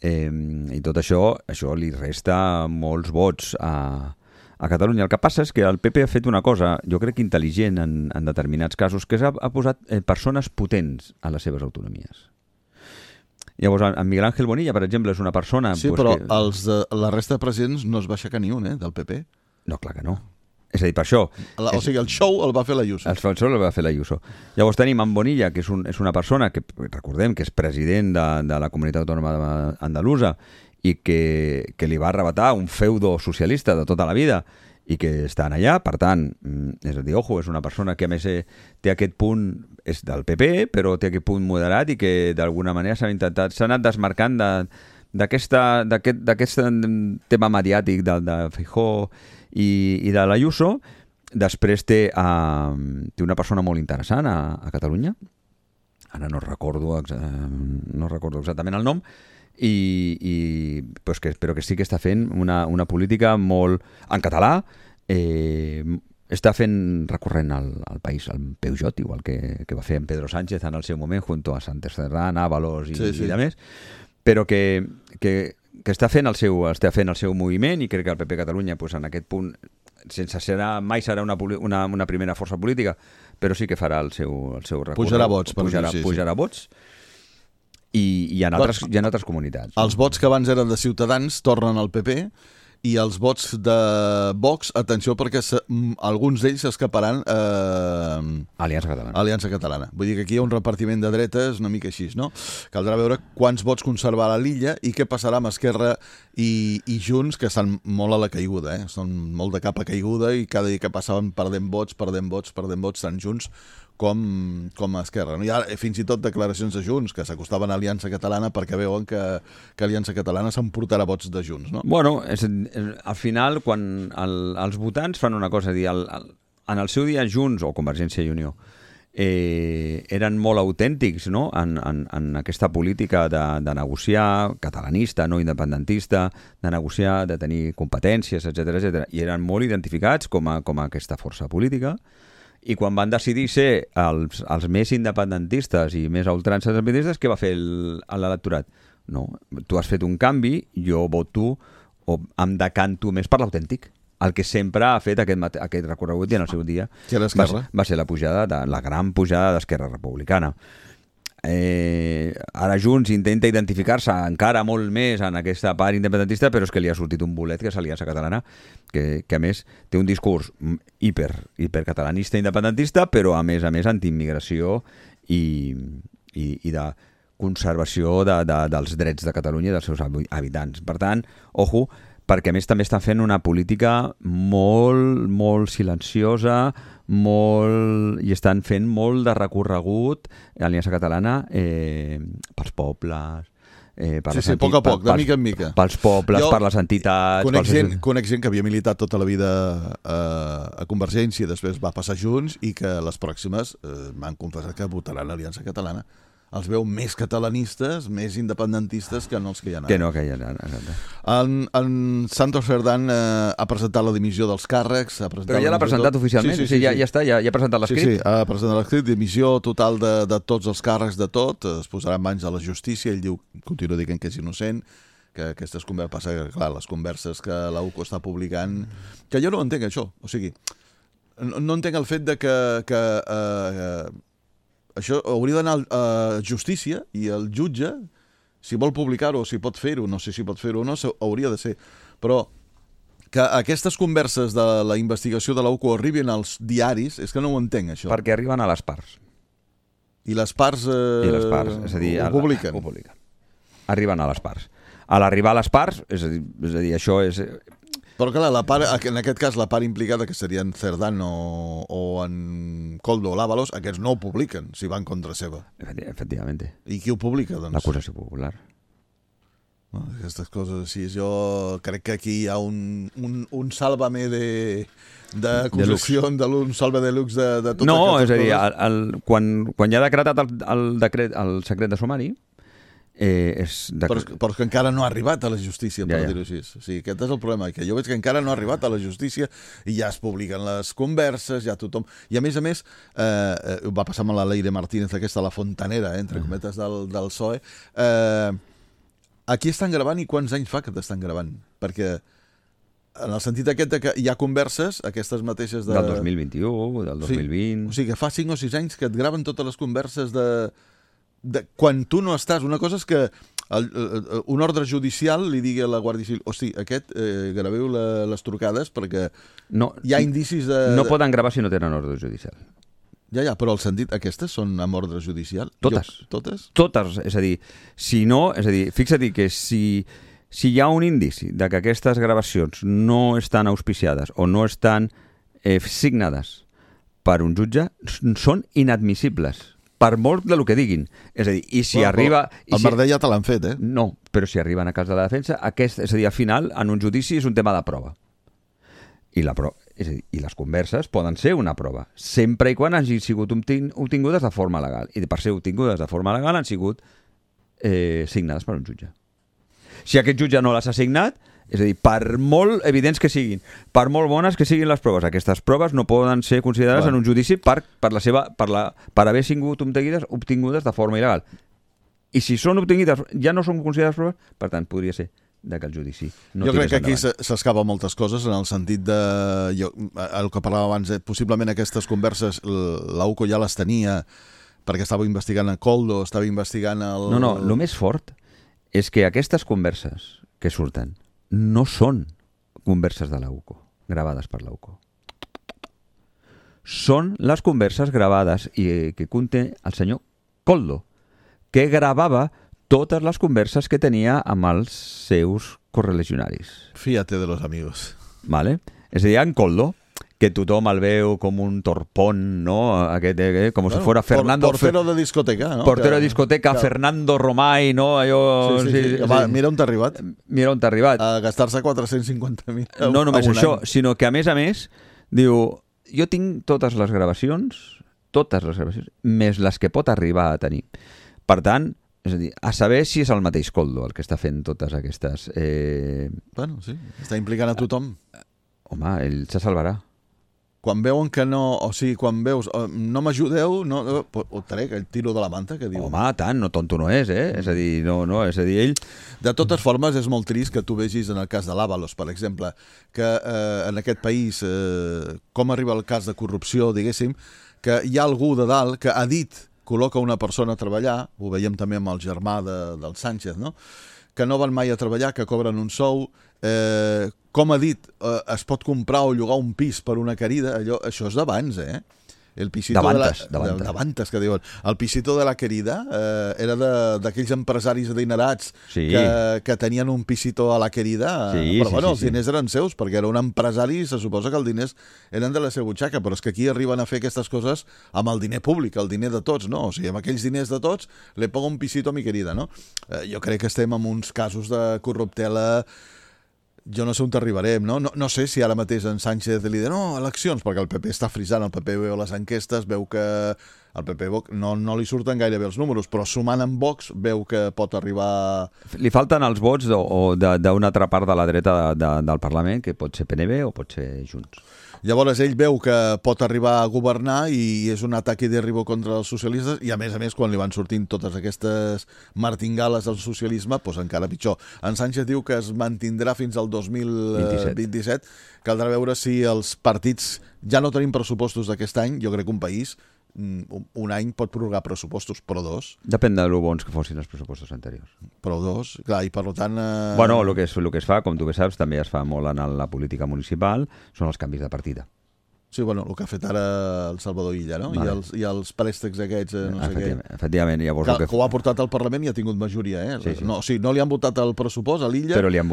i tot això li resta molts vots a Catalunya. El que passa és que el PP ha fet una cosa, jo crec que intel·ligent en determinats casos, que ha posat persones potents a les seves autonomies. Llavors, en Miguel Ángel Bonilla, per exemple, és una persona... Sí, però la resta de presidents no es va aixecar ni un, del PP. No, clar que no. És a dir, per això... O sigui, el show el va fer l'Ayuso. El show el va fer l'Ayuso. Llavors tenim en Bonilla, que és una persona que, recordem, que és president de la Comunitat Autònoma Andalusa i que li va arrebatar un feudo socialista de tota la vida i que estan allà, per tant, és a dir, és una persona que a més té aquest punt, és del PP, però té aquest punt moderat i que d'alguna manera s'ha anat desmarcant d'aquest tema mediàtic de Feijóo i de l'Ayuso. Després té una persona molt interessant a Catalunya, ara no recordo exactament el nom, però que sí que està fent una política molt en català, està fent recurrent al país, al Peugeot, igual que va fer en Pedro Sánchez en el seu moment, junto a Sánchez Serrán, Ábalos i demés, però que està fent el seu moviment, i crec que el PP Catalunya en aquest punt mai serà una primera força política, però sí que farà el seu recorregut. Pujarà vots. I hi ha altres comunitats. Els vots que abans eren de Ciutadans tornen al PP i els vots de Vox, atenció, perquè alguns d'ells s'escaparan a Aliança Catalana. Vull dir que aquí hi ha un repartiment de dretes una mica així, no? Caldrà veure quants vots conservarà l'Illa i què passarà amb Esquerra i Junts, que estan molt a la caiguda, Són molt de capa caiguda i cada dia que passaven perdent vots, tant Junts com a Esquerra. Hi ha fins i tot declaracions de Junts que s'acostaven a Aliança Catalana perquè veuen que Aliança Catalana s'emportarà vots de Junts, no? Bueno, al final, quan els votants fan una cosa, en el seu dia Junts o Convergència i Unió eren molt autèntics, no? en aquesta política de negociar, catalanista, no independentista, de negociar, de tenir competències, etc., i eren molt identificats com a aquesta força política. I quan van decidir ser els més independentistes i més ultrances independentistes, què va fer l'electorat? No, tu has fet un canvi, jo voto o em decanto més per l'autèntic. El que sempre ha fet aquest recorregut i en el seu dia va ser la gran pujada d'Esquerra Republicana. Ara Junts intenta identificar-se encara molt més en aquesta part independentista, però és que li ha sortit un bolet, que és Aliança Catalana, que a més té un discurs hipercatalanista independentista, però a més antiimmigració i de conservació dels drets de Catalunya i dels seus habitants. Per tant, perquè a més també està fent una política molt, molt silenciosa, i estan fent molt de recorregut a l'Aliança Catalana pels pobles, Sí, a poc, de mica en mica. Pels pobles, per les entitats... Conec gent que havia militat tota la vida a Convergència i després va passar Junts i que les pròximes m'han confessat que votaran l'Aliança Catalana. Els veu més catalanistes, més independentistes que no els que hi ha ara. Que no, que hi ha ara, exacte. En Santos Cerdán ha presentat la dimissió dels càrrecs. Però ja l'ha presentat oficialment? Sí, ja està, ja ha presentat l'escrit? Sí, ha presentat l'escrit, dimissió total de tots els càrrecs de tot, es posarà en mans de la justícia, ell diu, continua dient que és innocent, que aquestes converses, passa que, clar, les converses que la UCO està publicant, que jo no entenc això, o sigui, no entenc el fet de que això hauria d'anar a justícia i el jutge, si vol publicar-ho o si pot fer-ho, no sé si pot fer-ho o no, hauria de ser. Però que aquestes converses de la investigació de la UCO arribin als diaris, és que no ho entenc, això. Perquè arriben a les parts. I les parts, és a dir, ho publiquen. Ho publiquen. Arriben a les parts. A l'arribar a les parts, és a dir, això és... Però clar, en aquest cas la part implicada, que serien Cerdán o en Koldo o l'Ábalos, aquests no ho publiquen, si van contra seva. Efectivament. I qui ho publica, doncs? L'acusació popular. Aquestes coses així, jo crec que aquí hi ha un sálvame d'acusació, un salve de lux de totes no, aquestes coses. No, és a dir, quan ja ha decretat el secret de sumari, però que encara no ha arribat a la justícia, per dir-ho així. O sigui, aquest és el problema, que jo veig que encara no ha arribat a la justícia i ja es publiquen les converses, ja tothom... I a més, va passar amb la Leire Martínez, aquesta, la fontanera, entre cometes, del PSOE. Aquí estan gravant i quants anys fa que t'estan gravant? Perquè en el sentit aquest de que hi ha converses, aquestes mateixes del 2021, del 2020... Sí, o sigui, que fa 5 o 6 anys que et graven totes les converses quan tu no estàs. Una cosa és que un ordre judicial li digui a la Guàrdia Civil, hosti, graveu les trucades perquè hi ha indicis de... No poden gravar si no tenen ordre judicial. Ja, però el sentit, aquestes són amb ordre judicial? Totes. Totes, és a dir, si no, és a dir, fixa't que si hi ha un indici de que aquestes gravacions no estan auspiciades o no estan signades per un jutge, són inadmissibles. Per molt del que diguin. És a dir, i si arriba... El merder ja te l'han fet, eh? No, però si arriben a cas de la defensa, és a dir, al final, en un judici és un tema de prova. I les converses poden ser una prova, sempre i quan hagin sigut obtingudes de forma legal. I per ser obtingudes de forma legal han sigut signades per un jutge. Si aquest jutge no les ha signat, és a dir, per molt evidents que siguin, per molt bones que siguin les proves, aquestes proves no poden ser considerades en un judici per haver sigut obtingudes de forma il·legal. I si són obtingudes, ja no són considerades proves, per tant, podria ser que el judici no jo crec que aquí s'escapa moltes coses en el sentit de... el que parlava abans, possiblement aquestes converses la UCO ja les tenia perquè estava investigant a Koldo, estava investigant el... No, el més fort és que aquestes converses que surten no són converses de la UCO, gravades per la UCO. Són les converses gravades i que conté el senyor Koldo, que gravava totes les converses que tenia amb els seus correligionaris. Fíjate de los amigos. Vale? És a dir, en Koldo, que tothom el veu com un torpón, ¿no? Com si fuera Fernando... Portero de discoteca, ¿no? Portero de discoteca, Fernando Romay, ¿no? Allò... Sí. Va, mira on t'ha arribat. Mira on t'ha arribat. A gastar-se 450.000 euros. No només això, sinó que a més, diu, jo tinc totes les gravacions, més les que pot arribar a tenir. Per tant, és a dir, a saber si és el mateix Koldo el que està fent totes aquestes... Bueno, sí, està implicant a tothom. Home, ell se salvarà. Quan veuen que no, o sigui, quan veus no m'ajudeu, ho trec, el tiro de la manta que diu. Home, tant, no tonto no és, eh? És a dir, és a dir, ell... De totes formes, és molt trist que tu vegis en el cas de l'Ábalos, per exemple, que en aquest país, com arriba el cas de corrupció, diguéssim, que hi ha algú de dalt que ha dit, col·loca una persona a treballar, ho veiem també amb el germà del Sánchez, no?, que no van mai a treballar, que cobren un sou, com ha dit, es pot comprar o llogar un pis per una querida, això és d'abans, eh? El pisito Davantes, que diuen. El pisito de la querida era d'aquells empresaris adinerats que tenien un pisito a la querida, però bueno, els diners eren seus, perquè era un empresari i se suposa que els diners eren de la seva butxaca, però és que aquí arriben a fer aquestes coses amb el diner públic, el diner de tots, no? O sigui, amb aquells diners de tots le pongo un pisito a mi querida, no? Jo crec que estem en uns casos de corruptela. Jo no sé on arribarem, no? No sé si ara mateix en Sánchez li diu no, eleccions, perquè el PP està frisant, el PP veu les enquestes, veu que al PP no li surten gaire bé els números, però sumant amb Vox veu que pot arribar... Li falten els vots d'una altra part de la dreta del Parlament, que pot ser PNB o pot ser Junts. Llavors ell veu que pot arribar a governar i és un atac i derribo contra els socialistes i a més, quan li van sortint totes aquestes martingales al socialisme, doncs encara pitjor. En Sánchez diu que es mantindrà fins al 2027. Caldrà veure si els partits... Ja no tenim pressupostos d'aquest any, jo crec que un país un any pot prorrogar pressupostos, però 2. Depèn de lo bons que fossin els pressupostos anteriors. Però 2, clar, i per tant... Bueno, el que es fa, com tu bé saps, també es fa molt en la política municipal, són els canvis de partida. Sí, bueno, el que ha fet ara el Salvador Illa, no? Vale. I els préstecs aquests, no sé què. Efectivament, llavors... Que ho ha portat al Parlament i ha tingut majoria, eh? Sí. No, o sigui, no li han votat el pressupost a l'Illa, però li han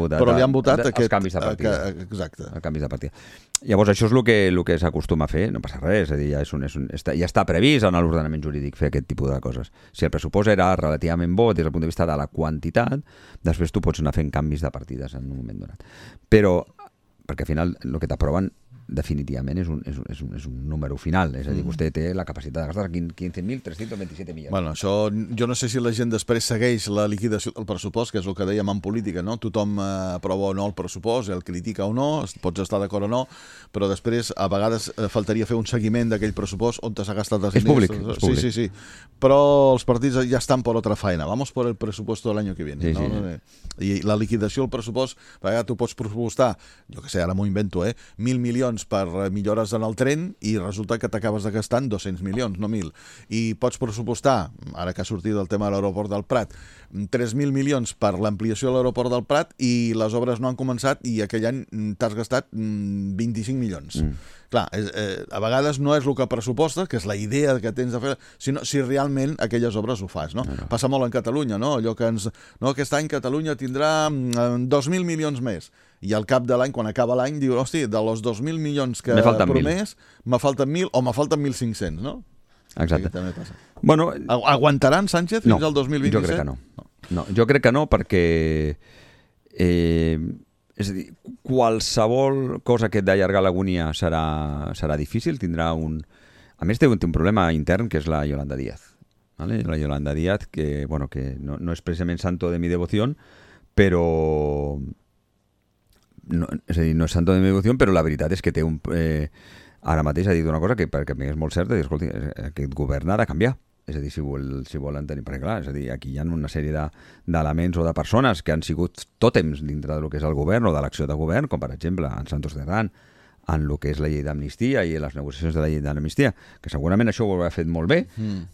votat els canvis de partida. Exacte. Els canvis de partida. Llavors, això és el que s'acostuma a fer, no passa res, és a dir, ja està previst en l'ordenament jurídic fer aquest tipus de coses. Si el pressupost era relativament bo des del punt de vista de la quantitat, després tu pots anar fent canvis de partides en un moment donat. Però, perquè al final el que t'aproven definitivament és un número final, és a dir, vostè té la capacitat de gastar 15.327 milions. Bueno, això, jo no sé si la gent després segueix la liquidació del pressupost, que és el que dèiem en política, no? Tothom aprova o no el pressupost, el critica o no, pots estar d'acord o no, però després a vegades faltaria fer un seguiment d'aquell pressupost on s'ha gastat els diners. És públic. Sí. Però els partits ja estan per otra faena. Vamos por el presupuesto del año que viene. I la liquidació del pressupost, perquè tu pots pressupostar, jo que sé, ara m'ho invento, 1.000 milions per millores en el tren i resulta que t'acabes de gastant 200 milions, no 1.000. I pots pressupostar, ara que ha sortit el tema de l'aeroport del Prat, 3.000 milions per l'ampliació de l'aeroport del Prat i les obres no han començat i aquell any t'has gastat 25 milions. Clar, a vegades no és el que pressuposta, que és la idea que tens de fer, sinó si realment aquelles obres ho fas, no? Passa molt en Catalunya, no? Allò que aquest any Catalunya tindrà 2.000 milions més. I al cap de l'any, quan acaba l'any, diu, hosti, de los 2.000 milions que promès, me falten 1.000 o me falten 1.500, no? Exacte. També passa. Bueno, aguantaran Sánchez fins al 2027? Jo crec que no. Jo crec que no, perquè és a dir, qualsevol cosa que d'allargar l'agonia serà difícil, tindrà un... A més, té un problema intern, que és la Yolanda Díaz. ¿Vale? La Yolanda Díaz, que no és precisament santo de mi devoción, però... No, és a dir, no és santo de mi devoció, però la veritat és que té ara mateix ha dit una cosa que perquè a mi és molt certa, escolti, aquest govern ha de canviar. És a dir, si volen tenir... Perquè clar, és a dir, aquí hi ha una sèrie d'elements o de persones que han sigut tòtems dintre del que és el govern o de l'acció de govern, com per exemple en Santos Cerdán, en el que és la llei d'amnistia i les negociacions de la llei d'amnistia, que segurament això ho ha fet molt bé,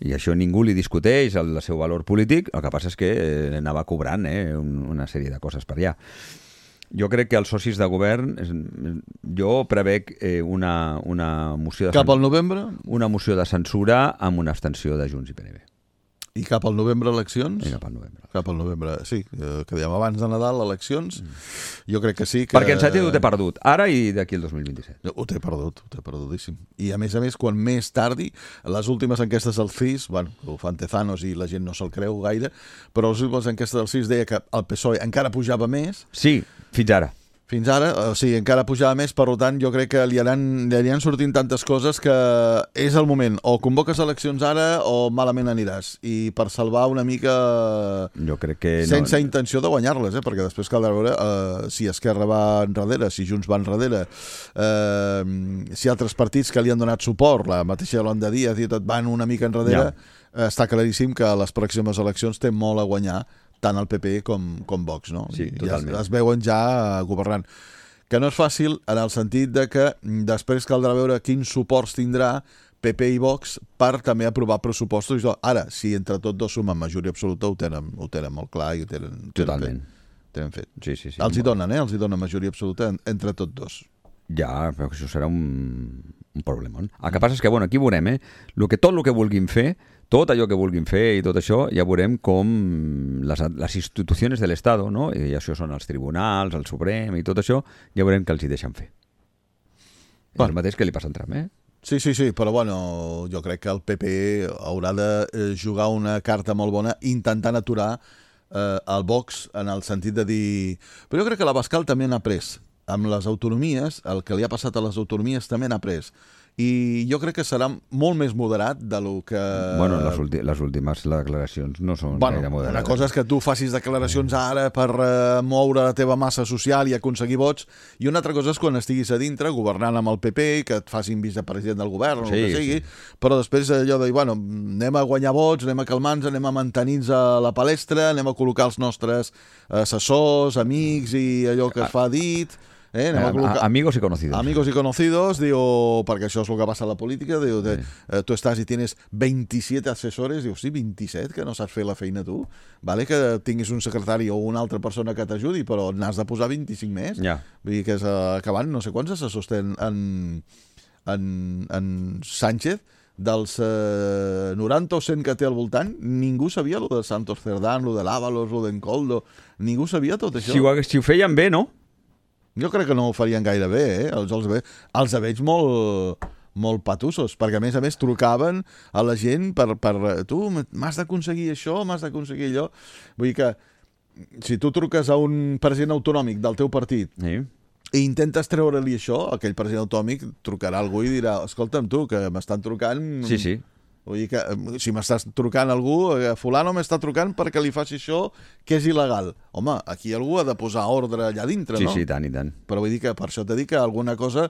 i això ningú li discuteix el seu valor polític, el que passa és que anava cobrant una sèrie de coses per allà. Jo crec que els socis de govern, jo prevec una moció de... Cap al novembre? Una moció de censura amb una abstenció de Junts i PNB. I cap al novembre eleccions? I cap al novembre. Cap al novembre, sí. Que dèiem abans de Nadal, eleccions. Jo crec que sí que... Perquè en Sánchez ho té perdut, ara i d'aquí el 2027. Ho té perdudíssim. I a més, quan més tardi, les últimes enquestes del CIS, bueno, ho fan Tezanos i la gent no se'l creu gaire, però les últimes enquestes del CIS deia que el PSOE encara pujava més. Sí, fins ara. Fins ara, o sigui, encara pujava més, per tant, jo crec que li aniran sortint tantes coses que és el moment. O convoques eleccions ara o malament aniràs. I per salvar una mica... Jo crec que... Sense intenció de guanyar-les, perquè després caldrà veure si Esquerra va enrere, si Junts va enrere, si altres partits que li han donat suport, la mateixa Yolanda Díaz i tot, van una mica enrere. Està claríssim que a les pròximes eleccions té molt a guanyar tant el PP com Vox, no? Sí, totalment. Ja es veuen ja governant. Que no és fàcil en el sentit de que després caldrà veure quins suports tindrà PP i Vox per també aprovar pressupostos. Ara, si entre tots dos sumen majoria absoluta, ho tenen molt clar i ho tenen totalment. Tenen fet. Sí. Els hi donen majoria absoluta entre tots dos. Ja, però això serà un problema. El que passa és que, bueno, aquí veurem, tot el que vulguin fer, tot allò que vulguin fer i tot això, ja veurem com les institucions de l'Estat, no? I això són els tribunals, el Suprem i tot això, ja veurem que els hi deixen fer. És el mateix que li passa al Trump, Sí, però bueno, jo crec que el PP haurà de jugar una carta molt bona intentant aturar el Vox en el sentit de dir... Però jo crec que l'Abascal també n'ha pres. Amb les autonomies, el que li ha passat a les autonomies també n'ha pres. I jo crec que serà molt més moderat de lo que... Bueno, les últimes declaracions no són gaire moderades. Una cosa és que tu facis declaracions ara per moure la teva massa social i aconseguir vots, i una altra cosa és quan estiguis a dintre, governant amb el PP, i que et facin vicepresident del govern, o el que sigui, però després allò de dir, bueno, anem a guanyar vots, anem a calmar-nos, anem a mantenir-nos a la palestra, anem a col·locar els nostres assessors, amics i allò que es fa dit... Amigos y conocidos. Amigos y conocidos, digo, perquè això és el que passa a la política, diu, tu estàs i tienes 27 assessores, diu, sí, 27, que no saps fer la feina tu, vale que tinguis un secretari o una altra persona que t'ajudi, però n'has de posar 25 més. Vull dir que és acabant, no sé quants assessors tenen en Sánchez, dels 90 o 100 que té al voltant, ningú sabia lo de Santos Cerdán, lo de l'Ábalos, lo d'Encoldo, ningú sabia tot això. Si ho feien bé, no? Jo crec que no ho farien gaire bé, els veig molt patussos, perquè a més trucaven a la gent per tu m'has d'aconseguir això, m'has d'aconseguir allò. Vull dir que si tu truques a un president autonòmic del teu partit i intentes treure-li això, aquell president autonòmic trucarà a algú i dirà, escolta'm tu, que m'estan trucant... Sí. Vull dir que si m'estàs trucant algú, fulano m'està trucant perquè li faci això que és il·legal. Home, aquí algú ha de posar ordre allà dintre, no? Sí, tant i tant. Però vull dir que per això t'he dit que alguna cosa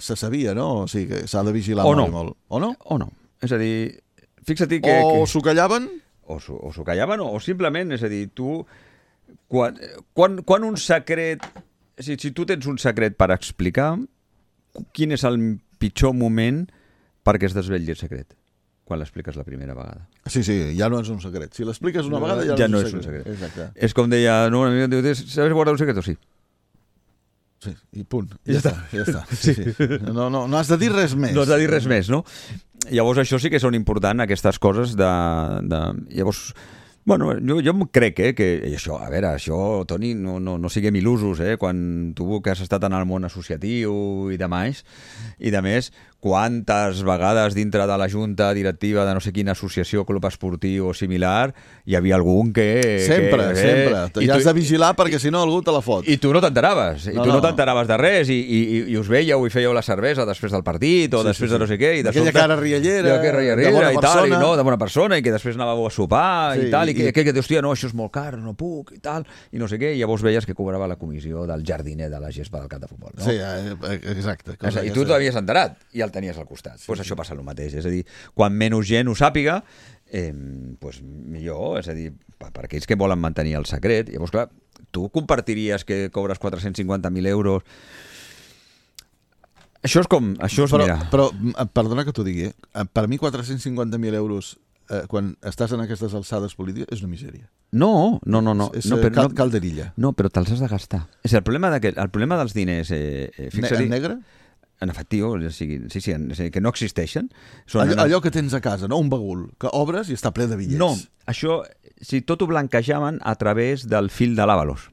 se sabia, no? O sigui, que s'ha de vigilar molt. O no? O no. És a dir, fixa't que... O s'ho callaven? O s'ho callaven, o simplement, és a dir, tu... Quan un secret... Si tu tens un secret per explicar, quin és el pitjor moment perquè es desvetlli el secret, quan l'expliques la primera vegada. Sí, ja no és un secret. Si l'expliques una vegada ja no és un secret. Exacte. És com deia, no, un amic diu, ¿sabes guardar un secret o sí? Sí, i punt. Ja està. Sí. No has de dir res més. No has de dir res més, no? Llavors això sí que són importants, aquestes coses de... Llavors... Bueno, jo crec que això, a veure, això, Toni, no siguem il·lusos, quan tu que has estat en el món associatiu i demés, quantes vegades dintre de la junta directiva de no sé quina associació, club esportiu o similar, hi havia algun que... Sempre. I has de vigilar perquè si no algú te la fot. I tu no t'enteraves. I tu no t'enteraves de res i us veieu i fèieu la cervesa després del partit o després de no sé què. Aquella cara riallera, de bona persona, i que després anàveu a sopar i tal, i que dius, hòstia, no, això és molt car, no puc, i tal, i no sé què, i llavors veies que cobrava la comissió del jardiner de la gespa del camp de futbol. Sí, exacte. I tu t'havies enterat, i el tenies al costat. Doncs això passa el mateix, és a dir, quan menys gent ho sàpiga, millor, és a dir, per aquells que volen mantenir el secret. Llavors, clar, tu compartiries que cobres 450.000 euros... Això és mira... Però, perdona que t'ho digui, per mi 450.000 euros quan estàs en aquestes alçades polítiques és una misèria. No. És calderilla. No, però te'ls has de gastar. És el problema dels diners... En negre? En efectiu, que no existeixen. Allò que tens a casa, no? Un bagul, que obres i està ple de bitllets. No, això, si tot ho blanquejaven a través del fil de l'Àvalos.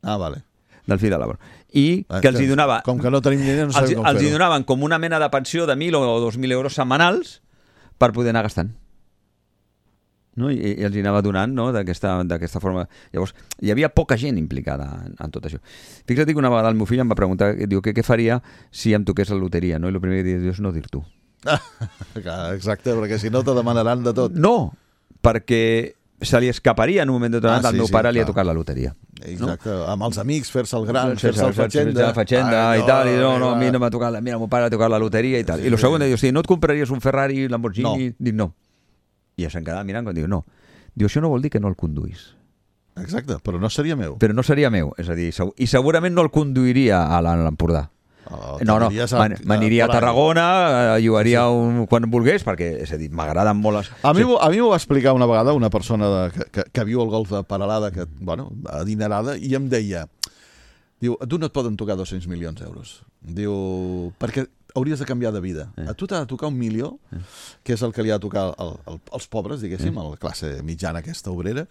Ah, vale. Del fil de l'Àvalos. I que els hi donava... Com que no tenim diners, no sabem com fer-ho. Els hi donaven com una mena de pensió de 1.000 o 2.000 euros setmanals per poder anar gastant. No? I els hi anava donant, no? d'aquesta forma. Llavors, hi havia poca gent implicada en tot això. Fixa't que una vegada el meu fill em va preguntar, diu, què faria si em toqués la loteria, no? I el primer que diu és no dir-t'ho. Exacte, perquè si no te demanaran de tot. No, perquè se li escaparia en un moment determinat al meu pare li ha tocat la loteria. Exacte, amb els amics, fer-se el gran, fer-se el fatxenda. I tal, i no, a mi no m'ha tocat, mira, el meu pare ha tocat la loteria i tal. I el segon diu, no et compraries un Ferrari, Lamborghini? Dic, no. I se'n quedava mirant quan diu, no. Diu, això no vol dir que no el conduís. Exacte, però no seria meu. Però no seria meu, és a dir, i segurament no el conduiria a l'Empordà. M'aniria a Tarragona, llogaria quan volgués, perquè, és a dir, m'agraden molt... A mi m'ho va explicar una vegada una persona que viu al golf de Peralada, que, bueno, adinerada, i em deia, Diu, a tu no et poden tocar 200 milions d'euros. Diu, perquè hauries de canviar de vida. A tu t'ha de tocar 1 milió, que és el que li ha de tocar als pobres, diguéssim, a la classe mitjana aquesta obrera,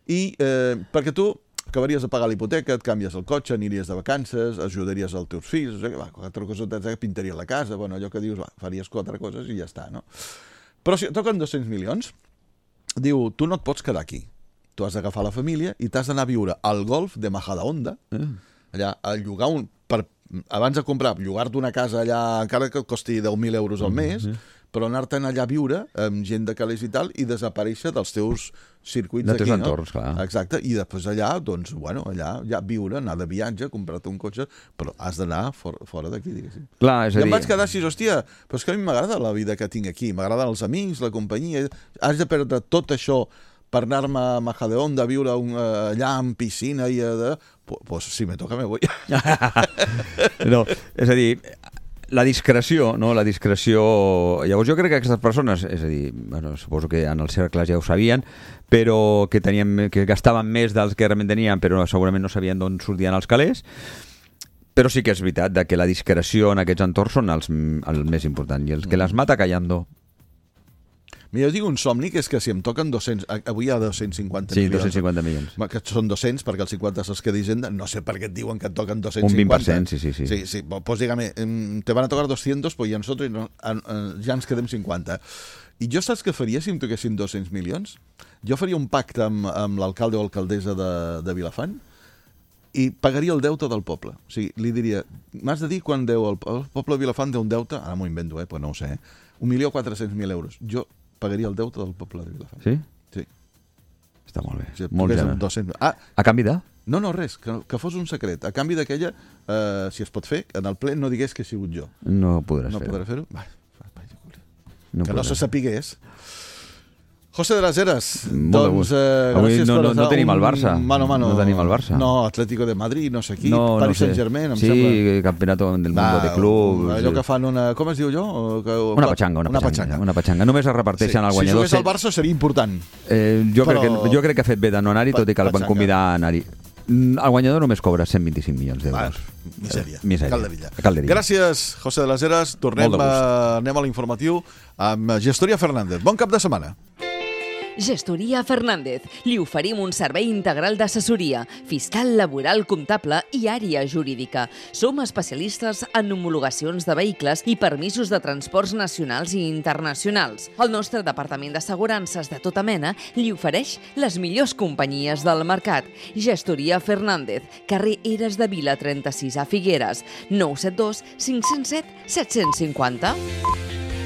i perquè tu acabaries de pagar la hipoteca, et canvies el cotxe, aniries de vacances, ajudaries als teus fills, quatre cosetes, pintaries la casa, bueno, allò que dius, faries 4 coses i ja està, no? Però si et toquen 200 milions, diu, tu no et pots quedar aquí. Tu has d'agafar la família i t'has d'anar a viure al golf de Majadahonda, allà, a llogar abans de comprar, llogar-te una casa allà, encara que et costi 10.000 euros al mes, però anar-te'n allà a viure amb gent de calés i tal i desaparèixer dels teus circuits d'aquí, no? Entorns, clar. Exacte, i després allà, doncs, bueno, allà ja viure, anar de viatge, comprar-te un cotxe, però has d'anar fora d'aquí, diguéssim. Clar, és a dir... I em vaig quedar així, hòstia, però és que a mi m'agrada la vida que tinc aquí, m'agraden els amics, la companyia, has de perdre tot això per anar-me a Majadahonda a viure allà amb piscina i pues si me toca me voy. No, és a dir, la discreció, no? La discreció... Llavors jo crec que aquestes persones, és a dir, bueno, suposo que en els cercles ja ho sabien, però que gastaven més dels que realment tenien, però segurament no sabien d'on sortien els calés. Però sí que és veritat que la discreció en aquests entorns són el més important, i els que les mata callando. Mira, jo dic un somni, que és que si em toquen 200... Avui hi ha 250 milions. Sí, 250 milions. Que són 200, perquè el 50 se'ls queda Hisenda. No sé per què et diuen que et toquen 250. Un 20%, sí. Sí, pues dígame, te van a tocar 200, pues ja nosotros ja ens quedem 50. I jo saps què faria si em toquessin 200 milions? Jo faria un pacte amb l'alcalde o alcaldessa de Vilafant i pagaria el deute del poble. O sigui, li diria, m'has de dir quan deu el poble de Vilafant deu un deute, ara m'ho invento, però no ho sé, 1.400.000 euros. Jo pagaria el deute del poble de Vilafant. Sí? Sí. Està molt bé. Si molt generós. A canvi de? No, res, que fos un secret. A canvi d'aquella, si es pot fer, en el ple no digués que he sigut jo. No podràs fer-ho. No podrà fer-ho? Que no se sapigués. José de las Heras, doncs avui no tenim el Barça. Mano. No tenim el Barça. No, Atlético de Madrid, no sé qui, Paris Saint-Germain, em sembla. Sí, Campeonato del Mundo de Clubs. Allò que fan una... Com es diu allò? Una patxanga. Només es reparteixen al guanyador. Si jugués al Barça seria important. Jo crec que ha fet bé de no anar-hi, tot i que el van convidar a anar-hi. El guanyador només cobra 125 milions d'euros. Misèria. Calderilla. Gràcies, José de las Heras. Anem a l'informatiu amb Gestoria Fernández. Bon cap de setmana. Gestoria Fernández. Li oferim un servei integral d'assessoria, fiscal, laboral, comptable i àrea jurídica. Som especialistes en homologacions de vehicles i permisos de transports nacionals i internacionals. El nostre departament d'assegurances de tota mena li ofereix les millors companyies del mercat. Gestoria Fernández, carrer Eres de Vila 36 a Figueres, 972 507 750.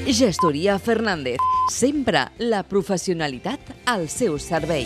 Gestoria Fernández, sempre la professionalitat al seu servei.